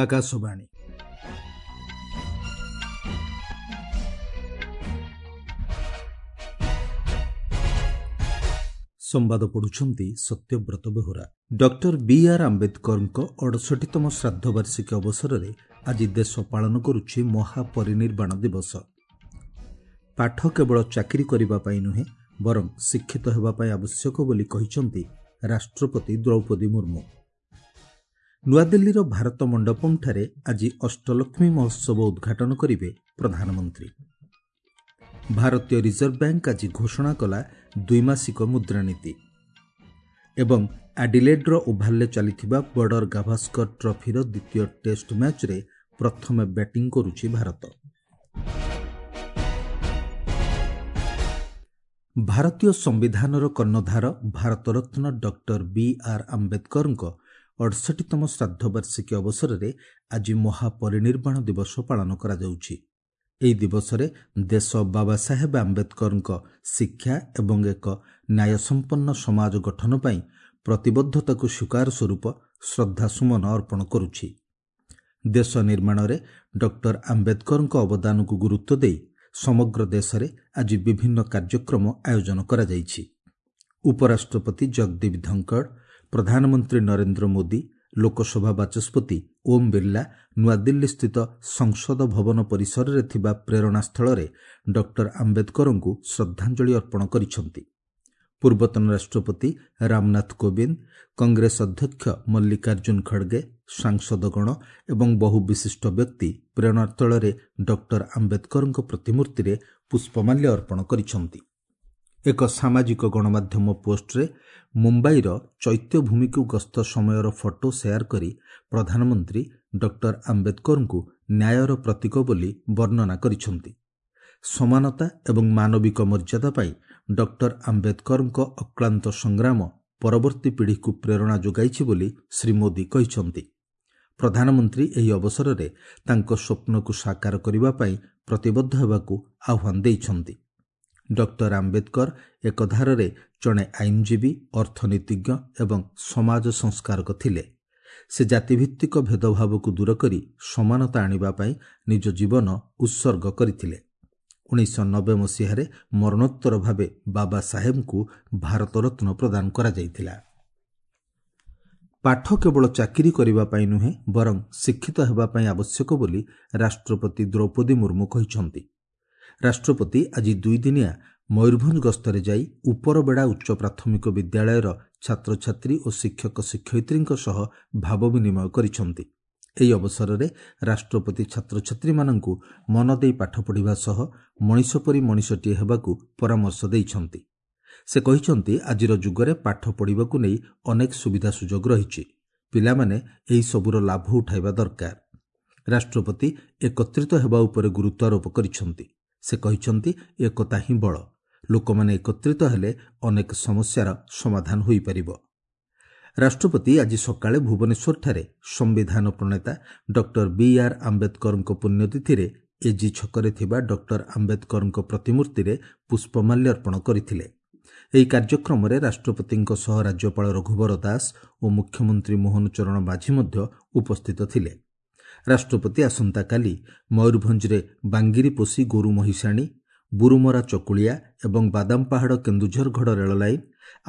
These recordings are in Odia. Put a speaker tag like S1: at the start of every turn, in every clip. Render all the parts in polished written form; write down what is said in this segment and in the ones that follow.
S1: ଆକାଶବାଣୀ। ସମ୍ବାଦ ପଢୁଛନ୍ତି ସତ୍ୟବ୍ରତ ବେହୁରା। ଡକ୍ଟର ବି ଆର୍ ଆମ୍ବେଦକରଙ୍କ 68ତମ ଶ୍ରାଦ୍ଧବାର୍ଷିକୀ ଅବସରରେ ଆଜି ଦେଶ ପାଳନ କରୁଛି ମହାପରିନିର୍ବାଣ ଦିବସ। ପାଠ କେବଳ ଚାକିରି କରିବା ପାଇଁ ନୁହେଁ, ବରଂ ଶିକ୍ଷିତ ହେବା ପାଇଁ ଆବଶ୍ୟକ ବୋଲି କହିଛନ୍ତି ରାଷ୍ଟ୍ରପତି ଦ୍ରୌପଦୀ ମୁର୍ମୁ। ନୂଆଦିଲ୍ଲୀର ଭାରତ ମଣ୍ଡପମ୍ଠାରେ ଆଜି ଅଷ୍ଟଲକ୍ଷ୍ମୀ ମହୋତ୍ସବ ଉଦ୍ଘାଟନ କରିବେ ପ୍ରଧାନମନ୍ତ୍ରୀ। ଭାରତୀୟ ରିଜର୍ଭ ବ୍ୟାଙ୍କ ଆଜି ଘୋଷଣା କଲା ଦ୍ୱିମାସିକ ମୁଦ୍ରାନୀତି। ଏବଂ ଆଡିଲେଡ୍ର ଓଭାଲରେ ଚାଲିଥିବା ବର୍ଡର ଗାଭାସ୍କର ଟ୍ରଫିର ଦ୍ୱିତୀୟ ଟେଷ୍ଟ ମ୍ୟାଚ୍ରେ ପ୍ରଥମେ ବ୍ୟାଟିଂ କରୁଛି ଭାରତ। ଭାରତୀୟ ସମ୍ବିଧାନର କର୍ଣ୍ଣଧାର ଭାରତରତ୍ନ ଡକ୍ଟର ବି ଆର୍ ଆମ୍ବେଦକରଙ୍କ 68ତମ ଶ୍ରାଦ୍ଧବାର୍ଷିକୀ ଅବସରରେ ଆଜି ମହାପରିନିର୍ବାଣ ଦିବସ ପାଳନ କରାଯାଉଛି। ଏହି ଦିବସରେ ଦେଶ ବାବା ସାହେବ ଆମ୍ବେଦକରଙ୍କ ଶିକ୍ଷା ଏବଂ ଏକ ନ୍ୟାୟସମ୍ପନ୍ନ ସମାଜ ଗଠନ ପାଇଁ ପ୍ରତିବଦ୍ଧତାକୁ ସ୍ୱୀକାର ସ୍ୱରୂପ ଶ୍ରଦ୍ଧାସୁମନ ଅର୍ପଣ କରୁଛି। ଦେଶ ନିର୍ମାଣରେ ଡକ୍ଟର ଆମ୍ବେଦକରଙ୍କ ଅବଦାନକୁ ଗୁରୁତ୍ୱ ଦେଇ ସମଗ୍ର ଦେଶରେ ଆଜି ବିଭିନ୍ନ କାର୍ଯ୍ୟକ୍ରମ ଆୟୋଜନ କରାଯାଇଛି। ଉପରାଷ୍ଟ୍ରପତି ଜଗଦୀପ ଧନଖଡ଼, ପ୍ରଧାନମନ୍ତ୍ରୀ ନରେନ୍ଦ୍ର ମୋଦି, ଲୋକସଭା ବାଚସ୍ପତି ଓମ୍ ବିର୍ଲା ନୂଆଦିଲ୍ଲୀସ୍ଥିତ ସଂସଦ ଭବନ ପରିସରରେ ଥିବା ପ୍ରେରଣାସ୍ଥଳରେ ଡକ୍ଟର ଆମ୍ବେଦକରଙ୍କୁ ଶ୍ରଦ୍ଧାଞ୍ଜଳି ଅର୍ପଣ କରିଛନ୍ତି। ପୂର୍ବତନ ରାଷ୍ଟ୍ରପତି ରାମନାଥ କୋବିନ୍ଦ, କଂଗ୍ରେସ ଅଧ୍ୟକ୍ଷ ମଲ୍ଲିକାର୍ଜୁନ ଖଡ଼ଗେ, ସାଂସଦଗଣ ଏବଂ ବହୁ ବିଶିଷ୍ଟ ବ୍ୟକ୍ତି ପ୍ରେରଣାସ୍ଥଳରେ ଡକ୍ଟର ଆମ୍ବେଦକରଙ୍କ ପ୍ରତିମୂର୍ତ୍ତିରେ ପୁଷ୍ପମାଲ୍ୟ ଅର୍ପଣ କରିଛନ୍ତି। ଏକ ସାମାଜିକ ଗଣମାଧ୍ୟମ ପୋଷ୍ଟରେ ମୁମ୍ବାଇର ଚୈତ୍ୟଭୂମିକୁ ଗସ୍ତ ସମୟର ଫଟୋ ସେୟାର କରି ପ୍ରଧାନମନ୍ତ୍ରୀ ଡକ୍ଟର ଆମ୍ବେଦକରଙ୍କୁ ନ୍ୟାୟର ପ୍ରତୀକ ବୋଲି ବର୍ଣ୍ଣନା କରିଛନ୍ତି। ସମାନତା ଏବଂ ମାନବିକ ମର୍ଯ୍ୟାଦା ପାଇଁ ଡକ୍ଟର ଆମ୍ବେଦକରଙ୍କ ଅକ୍ଳାନ୍ତ ସଂଗ୍ରାମ ପରବର୍ତ୍ତୀ ପିଢ଼ିକୁ ପ୍ରେରଣା ଯୋଗାଇଛି ବୋଲି ଶ୍ରୀ ମୋଦି କହିଛନ୍ତି। ପ୍ରଧାନମନ୍ତ୍ରୀ ଏହି ଅବସରରେ ତାଙ୍କ ସ୍ୱପ୍ନକୁ ସାକାର କରିବା ପାଇଁ ପ୍ରତିବଦ୍ଧ ହେବାକୁ ଆହ୍ୱାନ ଦେଇଛନ୍ତି। ଡକ୍ଟର ଆମ୍ବେଦକର ଏକଧାରରେ ଜଣେ ଆଇନଜୀବୀ, ଅର୍ଥନୀତିଜ୍ଞ ଏବଂ ସମାଜ ସଂସ୍କାରକ ଥିଲେ। ସେ ଜାତିଭିତ୍ତିକ ଭେଦଭାବକୁ ଦୂର କରି ସମାନତା ଆଣିବା ପାଇଁ ନିଜ ଜୀବନ ଉତ୍ସର୍ଗ କରିଥିଲେ। 1990 ମସିହାରେ ମରଣୋତ୍ତର ଭାବେ ବାବା ସାହେବଙ୍କୁ ଭାରତରତ୍ନ ପ୍ରଦାନ କରାଯାଇଥିଲା। ପାଠ କେବଳ ଚାକିରି କରିବା ପାଇଁ ନୁହେଁ, ବରଂ ଶିକ୍ଷିତ ହେବା ପାଇଁ ଆବଶ୍ୟକ ବୋଲି ରାଷ୍ଟ୍ରପତି ଦ୍ରୌପଦୀ ମୁର୍ମୁ କହିଛନ୍ତି। ରାଷ୍ଟ୍ରପତି ଆଜି ଦୁଇଦିନିଆ ମୟୂରଭଞ୍ଜ ଗସ୍ତରେ ଯାଇ ଉପରବେଡ଼ା ଉଚ୍ଚ ପ୍ରାଥମିକ ବିଦ୍ୟାଳୟର ଛାତ୍ରଛାତ୍ରୀ ଓ ଶିକ୍ଷକ ଶିକ୍ଷୟିତ୍ରୀଙ୍କ ସହ ଭାବ ବିନିମୟ କରିଛନ୍ତି। ଏହି ଅବସରରେ ରାଷ୍ଟ୍ରପତି ଛାତ୍ରଛାତ୍ରୀମାନଙ୍କୁ ମନ ଦେଇ ପାଠ ପଢ଼ିବା ସହ ମଣିଷ ପରି ମଣିଷଟିଏ ହେବାକୁ ପରାମର୍ଶ ଦେଇଛନ୍ତି। ସେ କହିଛନ୍ତି, ଆଜିର ଯୁଗରେ ପାଠ ପଢ଼ିବାକୁ ନେଇ ଅନେକ ସୁବିଧା ସୁଯୋଗ ରହିଛି। ପିଲାମାନେ ଏହିସବୁର ଲାଭ ଉଠାଇବା ଦରକାର। ରାଷ୍ଟ୍ରପତି ଏକତ୍ରିତ ହେବା ଉପରେ ଗୁରୁତ୍ୱାରୋପ କରିଛନ୍ତି। ସେ କହିଛନ୍ତି, ଏକତା ହିଁ ବଳ। ଲୋକମାନେ ଏକତ୍ରିତ ହେଲେ ଅନେକ ସମସ୍ୟାର ସମାଧାନ ହୋଇପାରିବ। ରାଷ୍ଟ୍ରପତି ଆଜି ସକାଳେ ଭୁବନେଶ୍ୱରଠାରେ ସମ୍ବିଧାନ ପ୍ରଣେତା ଡକ୍ଟର ବି ଆର୍ ଆମ୍ବେଦକରଙ୍କ ପୁଣ୍ୟତିଥିରେ ଏଜି ଛକରେ ଥିବା ଡକ୍ଟର ଆମ୍ବେଦକରଙ୍କ ପ୍ରତିମୂର୍ତ୍ତିରେ ପୁଷ୍ପମାଲ୍ୟ ଅର୍ପଣ କରିଥିଲେ। ଏହି କାର୍ଯ୍ୟକ୍ରମରେ ରାଷ୍ଟ୍ରପତିଙ୍କ ସହ ରାଜ୍ୟପାଳ ରଘୁବର ଦାସ ଓ ମୁଖ୍ୟମନ୍ତ୍ରୀ ମୋହନ ଚରଣ ମାଝୀ ମଧ୍ୟ ଉପସ୍ଥିତ ଥିଲେ। ରାଷ୍ଟ୍ରପତି ଆସନ୍ତାକାଲି ମୟୂରଭଞ୍ଜରେ ବାଙ୍ଗିରିପୋଷି ଗୋରୁ ମହିଷାଣୀ, ବୁରୁମରା ଚକୁଳିଆ ଏବଂ ବାଦାମପାହାଡ଼ କେନ୍ଦୁଝରଗଡ଼ ରେଳଲାଇନ୍,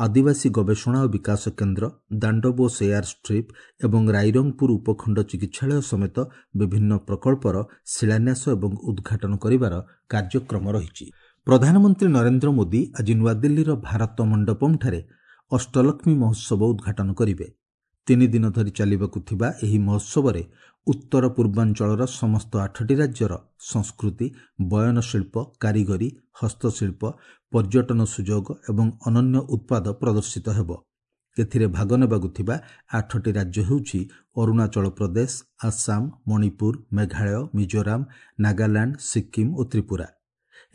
S1: ଆଦିବାସୀ ଗବେଷଣା ଓ ବିକାଶ କେନ୍ଦ୍ର, ଦାଣ୍ଡବୋଷ ଏୟାର ଷ୍ଟ୍ରିପ୍ ଏବଂ ରାଇରଙ୍ଗପୁର ଉପଖଣ୍ଡ ଚିକିତ୍ସାଳୟ ସମେତ ବିଭିନ୍ନ ପ୍ରକଳ୍ପର ଶିଳାନ୍ୟାସ ଏବଂ ଉଦ୍ଘାଟନ କରିବାର କାର୍ଯ୍ୟକ୍ରମ ରହିଛି। ପ୍ରଧାନମନ୍ତ୍ରୀ ନରେନ୍ଦ୍ର ମୋଦି ଆଜି ନୂଆଦିଲ୍ଲୀର ଭାରତ ମଣ୍ଡପମ୍ଠାରେ ଅଷ୍ଟଲକ୍ଷ୍ମୀ ମହୋତ୍ସବ ଉଦ୍ଘାଟନ କରିବେ। 3 ଦିନ ଧରି ଚାଲିବାକୁ ଥିବା ଏହି ମହୋତ୍ସବରେ ଉତ୍ତର ପୂର୍ବାଞ୍ଚଳର ସମସ୍ତ 8ଟି ରାଜ୍ୟର ସଂସ୍କୃତି, ବୟନଶିଳ୍ପ, କାରିଗରୀ, ହସ୍ତଶିଳ୍ପ, ପର୍ଯ୍ୟଟନ ସୁଯୋଗ ଏବଂ ଅନନ୍ୟ ଉତ୍ପାଦ ପ୍ରଦର୍ଶିତ ହେବ। ଏଥିରେ ଭାଗ ନେବାକୁ ଥିବା 8ଟି ରାଜ୍ୟ ହେଉଛି ଅରୁଣାଚଳ ପ୍ରଦେଶ, ଆସାମ, ମଣିପୁର, ମେଘାଳୟ, ମିଜୋରାମ, ନାଗାଲାଣ୍ଡ, ସିକ୍କିମ୍ ଓ ତ୍ରିପୁରା।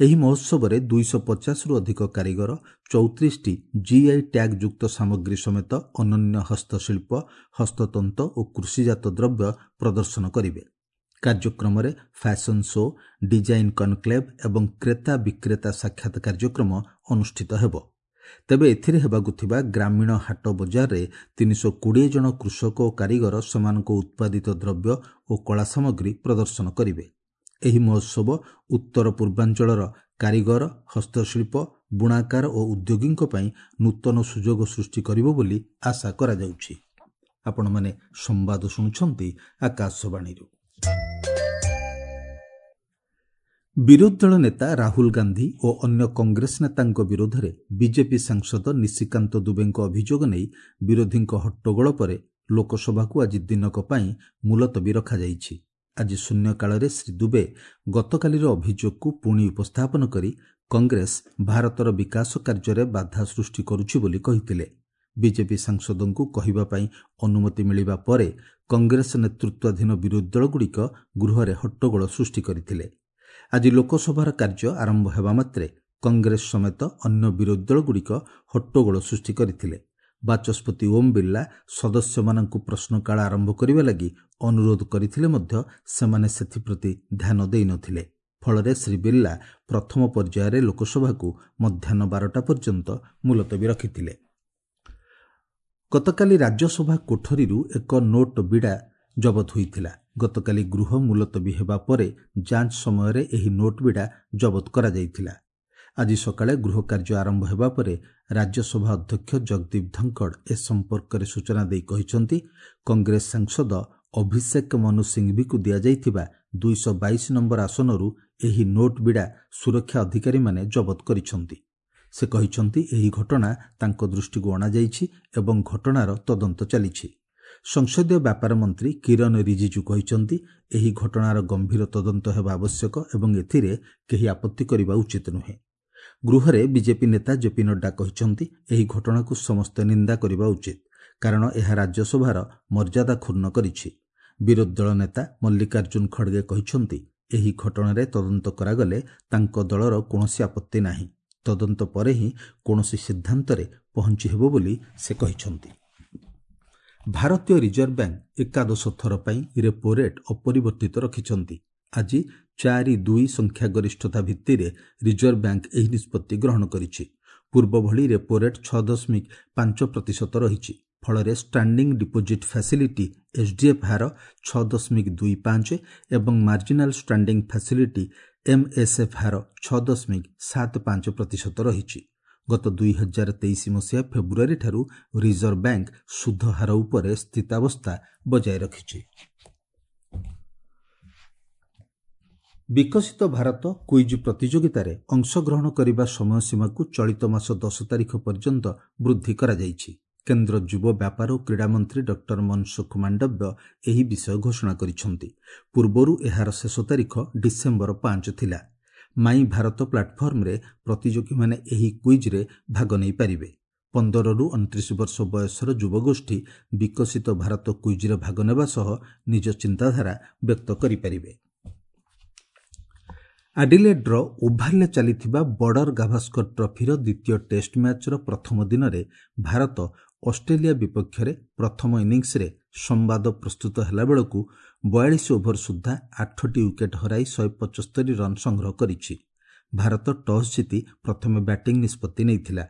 S1: ଏହି ମହୋତ୍ସବରେ 250ରୁ ଅଧିକ କାରିଗର 34ଟି ଜିଆଇ ଟ୍ୟାଗ୍ ଯୁକ୍ତ ସାମଗ୍ରୀ ସମେତ ଅନନ୍ୟ ହସ୍ତଶିଳ୍ପ, ହସ୍ତତନ୍ତ ଓ କୃଷିଜାତ ଦ୍ରବ୍ୟ ପ୍ରଦର୍ଶନ କରିବେ। କାର୍ଯ୍ୟକ୍ରମରେ ଫ୍ୟାସନ୍ ଶୋ, ଡିଜାଇନ୍ କନକ୍ଲେଭ୍ ଏବଂ କ୍ରେତା ବିକ୍ରେତା ସାକ୍ଷାତ କାର୍ଯ୍ୟକ୍ରମ ଅନୁଷ୍ଠିତ ହେବ। ତେବେ ଏଥିରେ ହେବାକୁ ଥିବା ଗ୍ରାମୀଣ ହାଟ ବଜାରରେ 320 ଜଣ କୃଷକ ଓ କାରିଗର ସେମାନଙ୍କ ଉତ୍ପାଦିତ ଦ୍ରବ୍ୟ ଓ କଳା ସାମଗ୍ରୀ ପ୍ରଦର୍ଶନ କରିବେ। ଏହି ମହୋତ୍ସବ ଉତ୍ତର ପୂର୍ବାଞ୍ଚଳର କାରିଗର, ହସ୍ତଶିଳ୍ପ, ବୁଣାକାର ଓ ଉଦ୍ୟୋଗୀଙ୍କ ପାଇଁ ନୂତନ ସୁଯୋଗ ସୃଷ୍ଟି କରିବ ବୋଲି ଆଶା କରାଯାଉଛି। ଆପଣମାନେ ସମ୍ବାଦ ଶୁଣୁଛନ୍ତି ଆକାଶବାଣୀରୁ। ବିରୋଧୀ ଦଳ ନେତା ରାହୁଲ ଗାନ୍ଧୀ ଓ ଅନ୍ୟ କଂଗ୍ରେସ ନେତାଙ୍କ ବିରୋଧରେ ବିଜେପି ସାଂସଦ ନିଶିକାନ୍ତ ଦୁବେଙ୍କ ଅଭିଯୋଗ ନେଇ ବିରୋଧୀଙ୍କ ହଟ୍ଟଗୋଳ ପରେ ଲୋକସଭାକୁ ଆଜି ଦିନକ ପାଇଁ ମୁଲତବୀ ରଖାଯାଇଛି। ଆଜି ଶୂନ୍ୟକାଳରେ ଶ୍ରୀ ଦୁବେ ଗତକାଲିର ଅଭିଯୋଗକୁ ପୁଣି ଉପସ୍ଥାପନ କରି କଂଗ୍ରେସ ଭାରତର ବିକାଶ କାର୍ଯ୍ୟରେ ବାଧା ସୃଷ୍ଟି କରୁଛି ବୋଲି କହିଥିଲେ। ବିଜେପି ସାଂସଦଙ୍କୁ କହିବା ପାଇଁ ଅନୁମତି ମିଳିବା ପରେ କଂଗ୍ରେସ ନେତୃତ୍ୱାଧୀନ ବିରୋଧୀ ଦଳଗୁଡ଼ିକ ଗୃହରେ ହଟ୍ଟଗୋଳ ସୃଷ୍ଟି କରିଥିଲେ। ଆଜି ଲୋକସଭାର କାର୍ଯ୍ୟ ଆରମ୍ଭ ହେବା ମାତ୍ରେ କଂଗ୍ରେସ ସମେତ ଅନ୍ୟ ବିରୋଧୀ ଦଳଗୁଡ଼ିକ ହଟ୍ଟଗୋଳ ସୃଷ୍ଟି କରିଥିଲେ। ବାଚସ୍ପତି ଓମ୍ ବିର୍ଲା ସଦସ୍ୟମାନଙ୍କୁ ପ୍ରଶ୍ନକାଳ ଆରମ୍ଭ କରିବା ଲାଗି ଅନୁରୋଧ କରିଥିଲେ ମଧ୍ୟ ସେମାନେ ସେଥିପ୍ରତି ଧ୍ୟାନ ଦେଇନଥିଲେ। ଫଳରେ ଶ୍ରୀ ବିର୍ଲା ପ୍ରଥମ ପର୍ଯ୍ୟାୟରେ ଲୋକସଭାକୁ ମଧ୍ୟାହ୍ନ 12ଟା ପର୍ଯ୍ୟନ୍ତ ମୁଲତବୀ ରଖିଥିଲେ। ଗତକାଲି ରାଜ୍ୟସଭା କୋଠରୀରୁ ଏକ ନୋଟ୍ ବିଡ଼ା ଜବତ ହୋଇଥିଲା। ଗତକାଲି ଗୃହ ମୁଲତବୀ ହେବା ପରେ ଯାଞ୍ଚ ସମୟରେ ଏହି ନୋଟ୍ ବିଡ଼ା ଜବତ କରାଯାଇଥିଲା। ଆଜି ସକାଳେ ଗୃହ କାର୍ଯ୍ୟ ଆରମ୍ଭ ହେବା ପରେ ରାଜ୍ୟସଭା ଅଧ୍ୟକ୍ଷ ଜଗଦୀପ ଧନଖଡ଼ ଏ ସମ୍ପର୍କରେ ସୂଚନା ଦେଇ କହିଛନ୍ତି, କଂଗ୍ରେସ ସାଂସଦ ଅଭିଷେକ ମନୁ ସିଂଭିକୁ ଦିଆଯାଇଥିବା 222 ନମ୍ବର ଆସନରୁ ଏହି ନୋଟ୍ ବିଡ଼ା ସୁରକ୍ଷା ଅଧିକାରୀମାନେ ଜବତ କରିଛନ୍ତି। ସେ କହିଛନ୍ତି, ଏହି ଘଟଣା ତାଙ୍କ ଦୃଷ୍ଟିକୁ ଅଣାଯାଇଛି ଏବଂ ଘଟଣାର ତଦନ୍ତ ଚାଲିଛି। ସଂସଦୀୟ ବ୍ୟାପାର ମନ୍ତ୍ରୀ କିରଣ ରିଜିଜୁ କହିଛନ୍ତି, ଏହି ଘଟଣାର ଗମ୍ଭୀର ତଦନ୍ତ ହେବା ଆବଶ୍ୟକ ଏବଂ ଏଥିରେ କେହି ଆପତ୍ତି କରିବା ଉଚିତ ନୁହେଁ। ଗୃହରେ ବିଜେପି ନେତା ଜେପି ନଡ୍ଡା କହିଛନ୍ତି, ଏହି ଘଟଣାକୁ ସମସ୍ତେ ନିନ୍ଦା କରିବା ଉଚିତ, କାରଣ ଏହା ରାଜ୍ୟସଭାର ମର୍ଯ୍ୟାଦା କ୍ଷୁଣ୍ଣ କରିଛି। ବିରୋଧୀ ଦଳ ନେତା ମଲ୍ଲିକାର୍ଜୁନ ଖଡ଼ଗେ କହିଛନ୍ତି, ଏହି ଘଟଣାରେ ତଦନ୍ତ କରାଗଲେ ତାଙ୍କ ଦଳର କୌଣସି ଆପତ୍ତି ନାହିଁ। ତଦନ୍ତ ପରେ ହିଁ କୌଣସି ସିଦ୍ଧାନ୍ତରେ ପହଞ୍ଚି ହେବ ବୋଲି ସେ କହିଛନ୍ତି। ଭାରତୀୟ ରିଜର୍ଭ ବ୍ୟାଙ୍କ ଏକାଦଶ ଥର ପାଇଁ ରେପୋ ରେଟ୍ ଅପରିବର୍ତ୍ତିତ ରଖିଛନ୍ତି। ଆଜି 4-2 ସଂଖ୍ୟାଗରିଷ୍ଠତା ଭିତ୍ତିରେ ରିଜର୍ଭ ବ୍ୟାଙ୍କ ଏହି ନିଷ୍ପତ୍ତି ଗ୍ରହଣ କରିଛି। ପୂର୍ବଭଳି ରେପୋ ରେଟ୍ 6.5% ରହିଛି। ଫଳରେ ଷ୍ଟାଣ୍ଡିଂ ଡିପୋଜିଟ୍ ଫ୍ୟାସିଲିଟି ଏସ୍ଡିଏଫ୍ ହାର 6.25 ଏବଂ ମାର୍ଜିନାଲ ଷ୍ଟାଣ୍ଡିଂ ଫ୍ୟାସିଲିଟି ଏମ୍ଏସ୍ଏଫ୍ ହାର 6.75% ରହିଛି। ଗତ 2023 ମସିହା ଫେବୃଆରୀଠାରୁ ରିଜର୍ଭ ବ୍ୟାଙ୍କ ସୁଧ ହାର ଉପରେ ସ୍ଥିତାବସ୍ଥା ବଜାୟ ରଖିଛି। ବିକଶିତ ଭାରତ କୁଇଜ୍ ପ୍ରତିଯୋଗିତାରେ ଅଂଶଗ୍ରହଣ କରିବା ସମୟସୀମାକୁ ଚଳିତ ମାସ 10 ତାରିଖ ପର୍ଯ୍ୟନ୍ତ ବୃଦ୍ଧି କରାଯାଇଛି। କେନ୍ଦ୍ର ଯୁବ ବ୍ୟାପାର ଓ କ୍ରୀଡ଼ା ମନ୍ତ୍ରୀ ଡକ୍ଟର ମନସୁଖ ମାଣ୍ଡବ୍ୟ ଏହି ବିଷୟ ଘୋଷଣା କରିଛନ୍ତି। ପୂର୍ବରୁ ଏହାର ଶେଷ ତାରିଖ ଡିସେମ୍ବର 5 ଥିଲା। ମାଇ ଭାରତ ପ୍ଲାଟଫର୍ମରେ ପ୍ରତିଯୋଗୀମାନେ ଏହି କୁଇଜ୍ରେ ଭାଗ ନେଇପାରିବେ। 15ରୁ 29 ବର୍ଷ ବୟସର ଯୁବଗୋଷ୍ଠୀ ବିକଶିତ ଭାରତ କୁଇଜ୍ରେ ଭାଗ ନେବା ସହ ନିଜ ଚିନ୍ତାଧାରା ବ୍ୟକ୍ତ କରିପାରିବେ। ଆଡିଲେଡ୍ର ଓଭାଲରେ ଚାଲିଥିବା ବର୍ଡର ଗାଭାସ୍କର ଟ୍ରଫିର ଦ୍ୱିତୀୟ ଟେଷ୍ଟ ମ୍ୟାଚ୍ର ପ୍ରଥମ ଦିନରେ ଭାରତ ଅଷ୍ଟ୍ରେଲିଆ ବିପକ୍ଷରେ ପ୍ରଥମ ଇନିଂସରେ ସମ୍ବାଦ ପ୍ରସ୍ତୁତ ହେଲାବେଳକୁ 42 ଓଭର ସୁଦ୍ଧା 8ଟି ୱିକେଟ୍ ହରାଇ 175 ରନ୍ ସଂଗ୍ରହ କରିଛି। ଭାରତ ଟସ୍ ଜିତି ପ୍ରଥମେ ବ୍ୟାଟିଂ ନିଷ୍ପତ୍ତି ନେଇଥିଲା।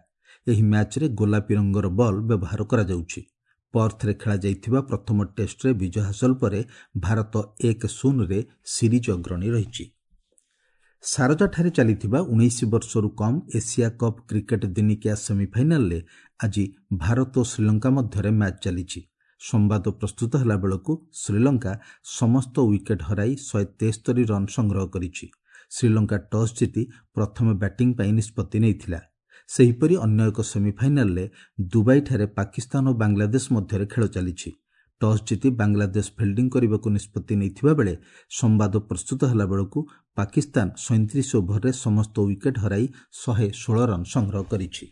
S1: ଏହି ମ୍ୟାଚ୍ରେ ଗୋଲାପୀ ରଙ୍ଗର ବଲ୍ ବ୍ୟବହାର କରାଯାଉଛି। ପର୍ଥରେ ଖେଳାଯାଇଥିବା ପ୍ରଥମ ଟେଷ୍ଟରେ ବିଜୟ ହାସଲ ପରେ ଭାରତ 1-0ରେ ସିରିଜ୍ ଅଗ୍ରଣୀ ରହିଛି। ସାରଜାଠାରେ ଚାଲିଥିବା 19 ବର୍ଷରୁ କମ୍ ଏସିଆ କପ୍ କ୍ରିକେଟ୍ ଦିନିକିଆ ସେମିଫାଇନାଲରେ ଆଜି ଭାରତ ଓ ଶ୍ରୀଲଙ୍କା ମଧ୍ୟରେ ମ୍ୟାଚ୍ ଚାଲିଛି। ସମ୍ବାଦ ପ୍ରସ୍ତୁତ ହେଲାବେଳକୁ ଶ୍ରୀଲଙ୍କା ସମସ୍ତ ୱିକେଟ୍ ହରାଇ 173 ରନ୍ ସଂଗ୍ରହ କରିଛି। ଶ୍ରୀଲଙ୍କା ଟସ୍ ଜିତି ପ୍ରଥମେ ବ୍ୟାଟିଂ ପାଇଁ ନିଷ୍ପତ୍ତି ନେଇଥିଲା। ସେହିପରି ଅନ୍ୟ ଏକ ସେମିଫାଇନାଲରେ ଦୁବାଇଠାରେ ପାକିସ୍ତାନ ଓ ବାଂଲାଦେଶ ମଧ୍ୟରେ ଖେଳ ଚାଲିଛି। ଟସ୍ ଜିତି ବାଂଲାଦେଶ ଫିଲ୍ଡିଂ କରିବାକୁ ନିଷ୍ପତ୍ତି ନେଇଥିବା ବେଳେ ସମ୍ବାଦ ପ୍ରସ୍ତୁତ ହେଲାବେଳକୁ ପାକିସ୍ତାନ 37 ଓଭରରେ ସମସ୍ତ ୱିକେଟ୍ ହରାଇ 116 ରନ୍ ସଂଗ୍ରହ କରିଛି।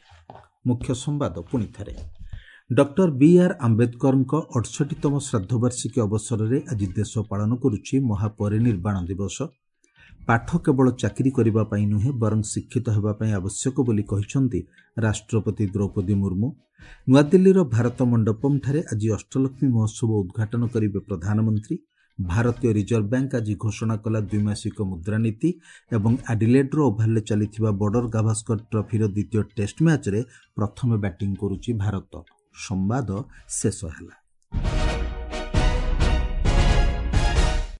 S1: ମୁଖ୍ୟ ସମ୍ବାଦ ପୁଣି ଥରେ। ଡକ୍ଟର ବି ଆର୍ ଆମ୍ବେଦକରଙ୍କ 68ତମ ଶ୍ରାଦ୍ଧବାର୍ଷିକୀ ଅବସରରେ ଆଜି ଦେଶ ପାଳନ କରୁଛି ମହାପରିନିର୍ବାଣ ଦିବସ। ପାଠ କେବଳ ଚାକିରି କରିବା ପାଇଁ ନୁହେଁ ବରଂ ଶିକ୍ଷିତ ହେବା ପାଇଁ ଆବଶ୍ୟକ ବୋଲି କହିଛନ୍ତି ରାଷ୍ଟ୍ରପତି ଦ୍ରୌପଦୀ ମୁର୍ମୁ। ନୂଆଦିଲ୍ଲୀର ଭାରତ ମଣ୍ଡପମ୍ଠାରେ ଆଜି ଅଷ୍ଟଲକ୍ଷ୍ମୀ ମହୋତ୍ସବ ଉଦ୍ଘାଟନ କରିବେ ପ୍ରଧାନମନ୍ତ୍ରୀ। ଭାରତୀୟ ରିଜର୍ଭ ବ୍ୟାଙ୍କ ଆଜି ଘୋଷଣା କଲା ଦ୍ୱିମାସିକ ମୁଦ୍ରାନୀତି ଏବଂ ଆଡିଲେଡ୍ର ଓଭାଲରେ ଚାଲିଥିବା ବର୍ଡର ଗାଭାସ୍କର ଟ୍ରଫିର ଦ୍ୱିତୀୟ ଟେଷ୍ଟ ମ୍ୟାଚ୍ରେ ପ୍ରଥମେ ବ୍ୟାଟିଂ କରୁଛି ଭାରତ। ସମ୍ବାଦ ଶେଷ ହେଲା।